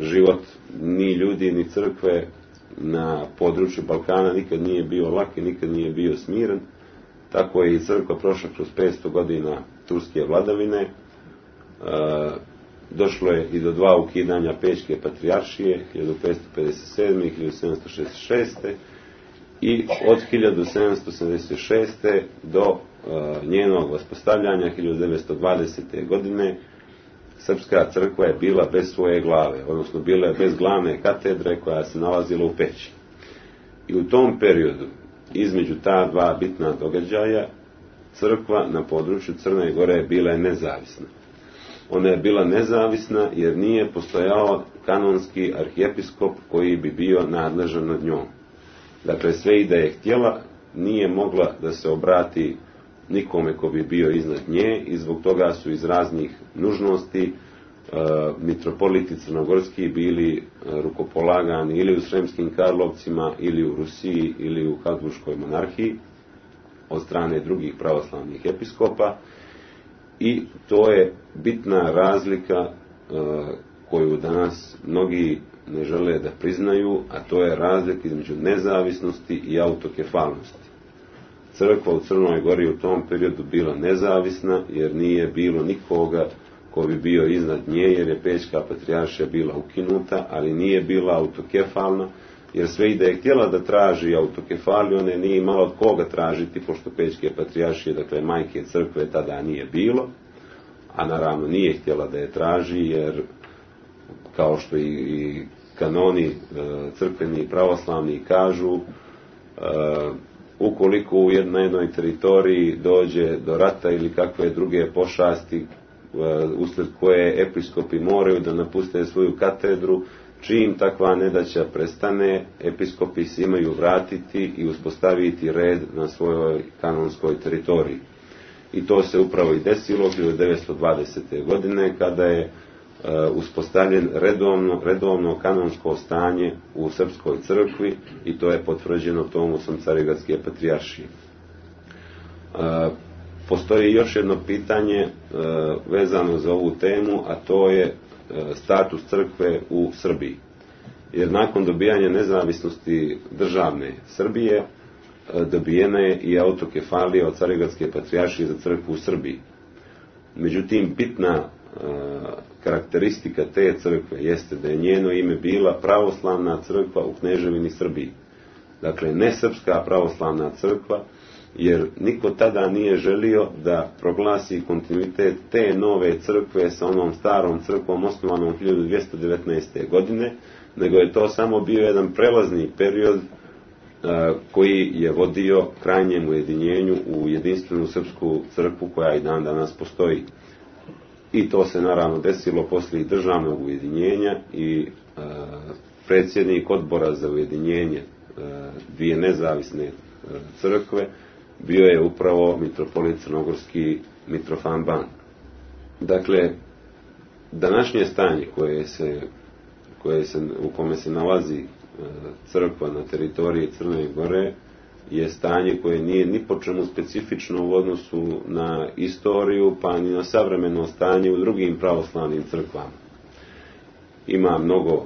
život ni ljudi ni crkve na području Balkana nikad nije bio lak i nikad nije bio smiren, tako je i crkva prošla kroz 500 godina turske vladavine. Došlo je i do 2 ukidanja Pećke patrijaršije, 1557. i 1766. I od 1776. do njenog vaspostavljanja 1920. godine srpska crkva je bila bez svoje glave, odnosno bila je bez glavne katedre koja se nalazila u Peći. I u tom periodu, između ta 2 bitna događaja, crkva na području Crne Gore je bila nezavisna. Ona je bila nezavisna jer nije postojao kanonski arhijepiskop koji bi bio nadležan nad njom. Dakle, sve i da je htjela, nije mogla da se obrati nikome ko bi bio iznad nje i zbog toga su iz raznih nužnosti mitropoliti crnogorski bili rukopolagani ili u Sremskim Karlovcima, ili u Rusiji, ili u Habsburškoj monarhiji od strane drugih pravoslavnih episkopa. I to je bitna razlika koju danas mnogi ne žele da priznaju, a to je razlika između nezavisnosti i autokefalnosti. Crkva u Crnoj Gori u tom periodu bila nezavisna jer nije bilo nikoga ko bi bio iznad nje, jer je Pećka patrijaršija bila ukinuta, ali nije bila autokefalna, jer sve i da je htjela da traži autokefaliju, one nije imala od koga tražiti, pošto Pećke patrijaršije, dakle majke crkve, tada nije bilo, a naravno nije htjela da je traži, jer kao što i kanoni crkveni i pravoslavni kažu, ukoliko na jednoj teritoriji dođe do rata ili kakve druge pošasti usled koje episkopi moraju da napuste svoju katedru, čim takva nedaća prestane, episkopi se imaju vratiti i uspostaviti red na svojoj kanonskoj teritoriji. I to se upravo i desilo 1920. godine kada je uspostavljen redovno kanonsko stanje u Srpskoj crkvi i to je potvrđeno Tomusom Carigradske patrijaršije. Postoji još jedno pitanje vezano za ovu temu, a to je status crkve u Srbiji. Jer nakon dobijanja nezavisnosti državne Srbije dobijena je i autokefalija od Carigradske patrijaršije za crkvu u Srbiji. Međutim, bitna karakteristika te crkve jeste da je njeno ime bila pravoslavna crkva u Kneževini Srbiji. Dakle, ne srpska pravoslavna crkva, jer niko tada nije želio da proglasi kontinuitet te nove crkve sa onom starom crkvom osnovanom 1219. godine, nego je to samo bio jedan prelazni period koji je vodio krajnjem ujedinjenju u jedinstvenu srpsku crkvu koja i dan danas postoji. I to se naravno desilo poslije državnog ujedinjenja i predsjednik odbora za ujedinjenje dvije nezavisne crkve bio je upravo mitropolit crnogorski Mitrofan Ban. Dakle, današnje stanje u kome se nalazi crkva na teritoriji Crne Gore je stanje koje nije ni po čemu specifično u odnosu na istoriju, pa ni na savremeno stanje u drugim pravoslavnim crkvama. Ima mnogo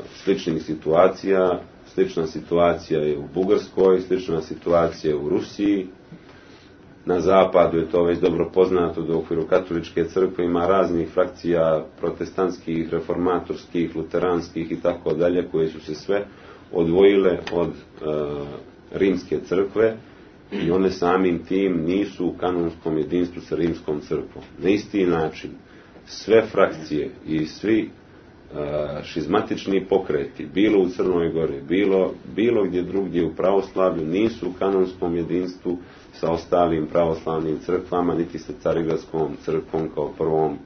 sličnih situacija. Slična situacija je u Bugarskoj, slična situacija je u Rusiji. Na zapadu je to već dobro poznato da u okviru katoličke crkve ima raznih frakcija protestantskih, reformatorskih, luteranskih i tako dalje, koje su se sve odvojile od rimske crkve i one samim tim nisu u kanonskom jedinstvu sa rimskom crkvom. Na isti način sve frakcije i svi šizmatični pokreti, bilo u Crnoj Gori, bilo gdje drugdje u pravoslavlju, nisu u kanonskom jedinstvu sa ostalim pravoslavnim crkvama, niti sa Carigradskom crkvom kao prvom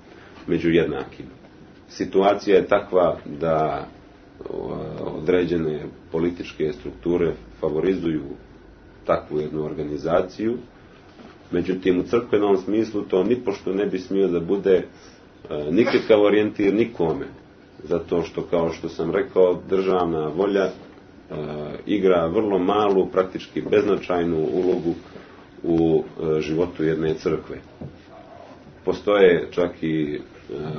među jednakim. Situacija je takva da određene političke strukture favorizuju takvu jednu organizaciju, međutim u crkvenom smislu to nipošto ne bi smio da bude nikakav orijentir nikome, zato što, kao što sam rekao, državna volja igra vrlo malu, praktički beznačajnu ulogu u životu jedne crkve. Postoje čak i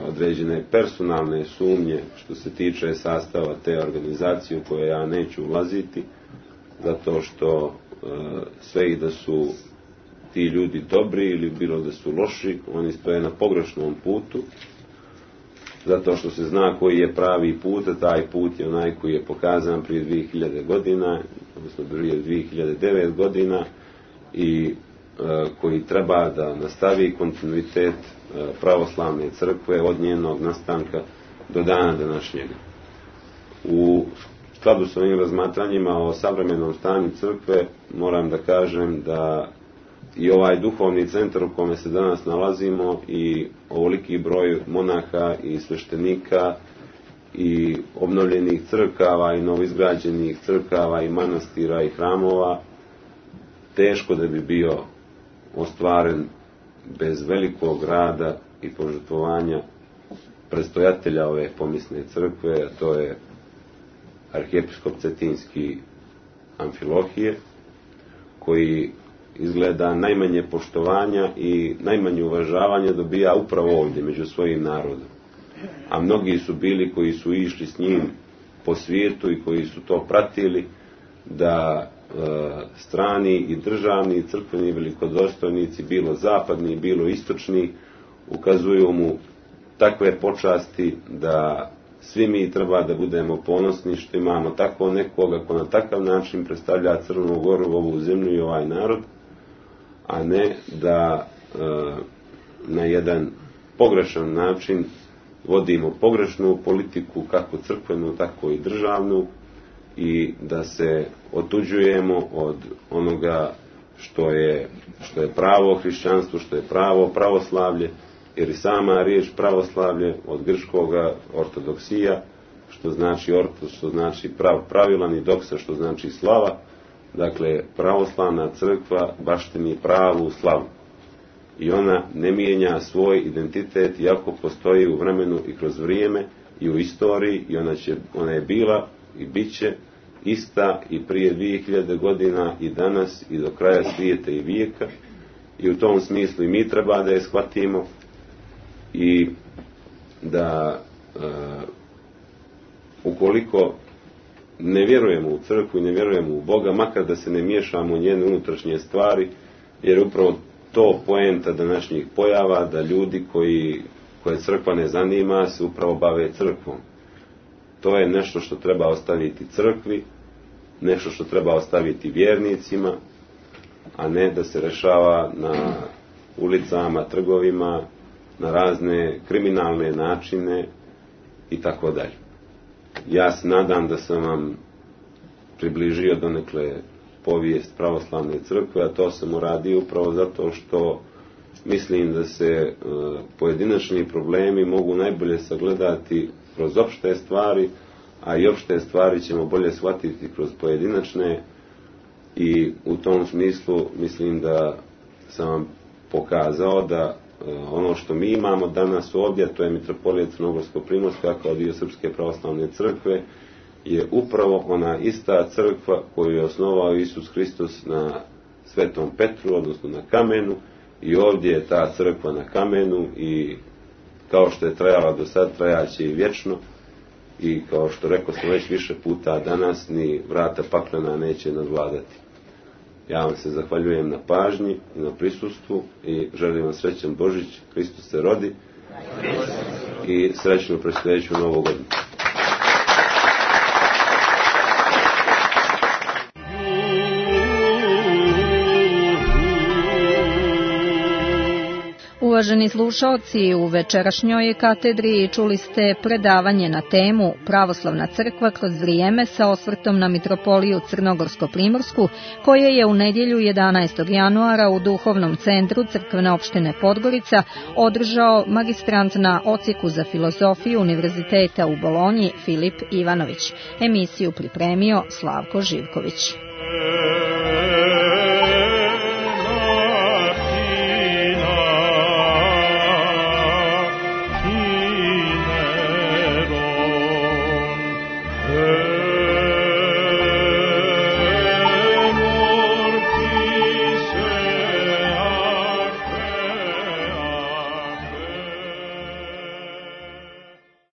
određene personalne sumnje što se tiče sastava te organizacije u koje ja neću ulaziti, zato što sve i da su ti ljudi dobri ili bilo da su loši, oni stoje na pogrešnom putu, zato što se zna koji je pravi put, a taj put je onaj koji je pokazan prije 2000 godina, odnosno prije 2009 godina i koji treba da nastavi kontinuitet pravoslavne crkve od njenog nastanka do dana današnjega. U skladu s ovim razmatranjima o savremenom stanju crkve moram da kažem da i ovaj duhovni centar u kome se danas nalazimo i ovoliki broj monaha i sveštenika i obnovljenih crkava i novoizgrađenih crkava i manastira i hramova teško da bi bio ostvaren bez velikog rada i požrtvovanja predstojatelja ove pomisne crkve, a to je arhijepiskop cetinski Amfilohije, koji izgleda najmanje poštovanja i najmanje uvažavanja dobija upravo ovdje među svojim narodom. A mnogi su bili koji su išli s njim po svijetu i koji su to pratili da strani i državni i crkveni velikodostojnici, bilo zapadni, bilo istočni, ukazuju mu takve počasti da svi mi treba da budemo ponosni što imamo tako nekoga ko na takav način predstavlja Crnu Goru, ovu zemlju i ovaj narod, a ne da na jedan pogrešan način vodimo pogrešnu politiku, kako crkvenu, tako i državnu, i da se otuđujemo od onoga što je pravo hrišćanstvo, što je pravo pravoslavlje, jer i sama riječ pravoslavlje od grčkoga ortodoksija, što znači ortos, što znači pravilan, i doksa, što znači slava. Dakle, pravoslavna crkva baštini pravu slavu. I ona ne mijenja svoj identitet, iako postoji u vremenu i kroz vrijeme i u istoriji, i ona je bila i bit će ista i prije 2000 godina i danas i do kraja svijeta i vijeka. I u tom smislu i mi treba da je shvatimo i da ukoliko ne vjerujemo u crkvu i ne vjerujemo u Boga, makar da se ne miješamo u njene unutrašnje stvari, jer upravo to poenta današnjih pojava, da ljudi koje crkva ne zanima se upravo bave crkvom. To je nešto što treba ostaviti crkvi, nešto što treba ostaviti vjernicima, a ne da se rešava na ulicama, trgovima, na razne kriminalne načine i tako dalje. Ja se nadam da sam vam približio donekle povijest pravoslavne crkve, a to sam uradio upravo zato što mislim da se pojedinačni problemi mogu najbolje sagledati kroz opšte stvari, a i opšte stvari ćemo bolje shvatiti kroz pojedinačne, i u tom smislu mislim da sam vam pokazao da ono što mi imamo danas ovdje, to je mitropolija Crnogorsko-primorska kao dio Srpske pravoslavne crkve, je upravo ona ista crkva koju je osnovao Isus Hristos na Svetom Petru, odnosno na kamenu, i ovdje je ta crkva na kamenu, i kao što je trajala do sad, trajaće i vječno, i kao što rekao sam već više puta danas, ni vrata paklena neće nadvladati. Ja vam se zahvaljujem na pažnji i na prisustvu i želim vam srećan Božić, Hristos se rodi, i srećnu predstojeću Novu godinu. Uvaženi slušaoci, u večerašnjoj katedri čuli ste predavanje na temu Pravoslavna crkva kroz vrijeme sa osvrtom na mitropoliju Crnogorsko-primorsku, koje je u nedjelju 11. januara u Duhovnom centru Crkvene opštine Podgorica održao magistrant na odsjeku za filozofiju Univerziteta u Bolonji Filip Ivanović. Emisiju pripremio Slavko Živković.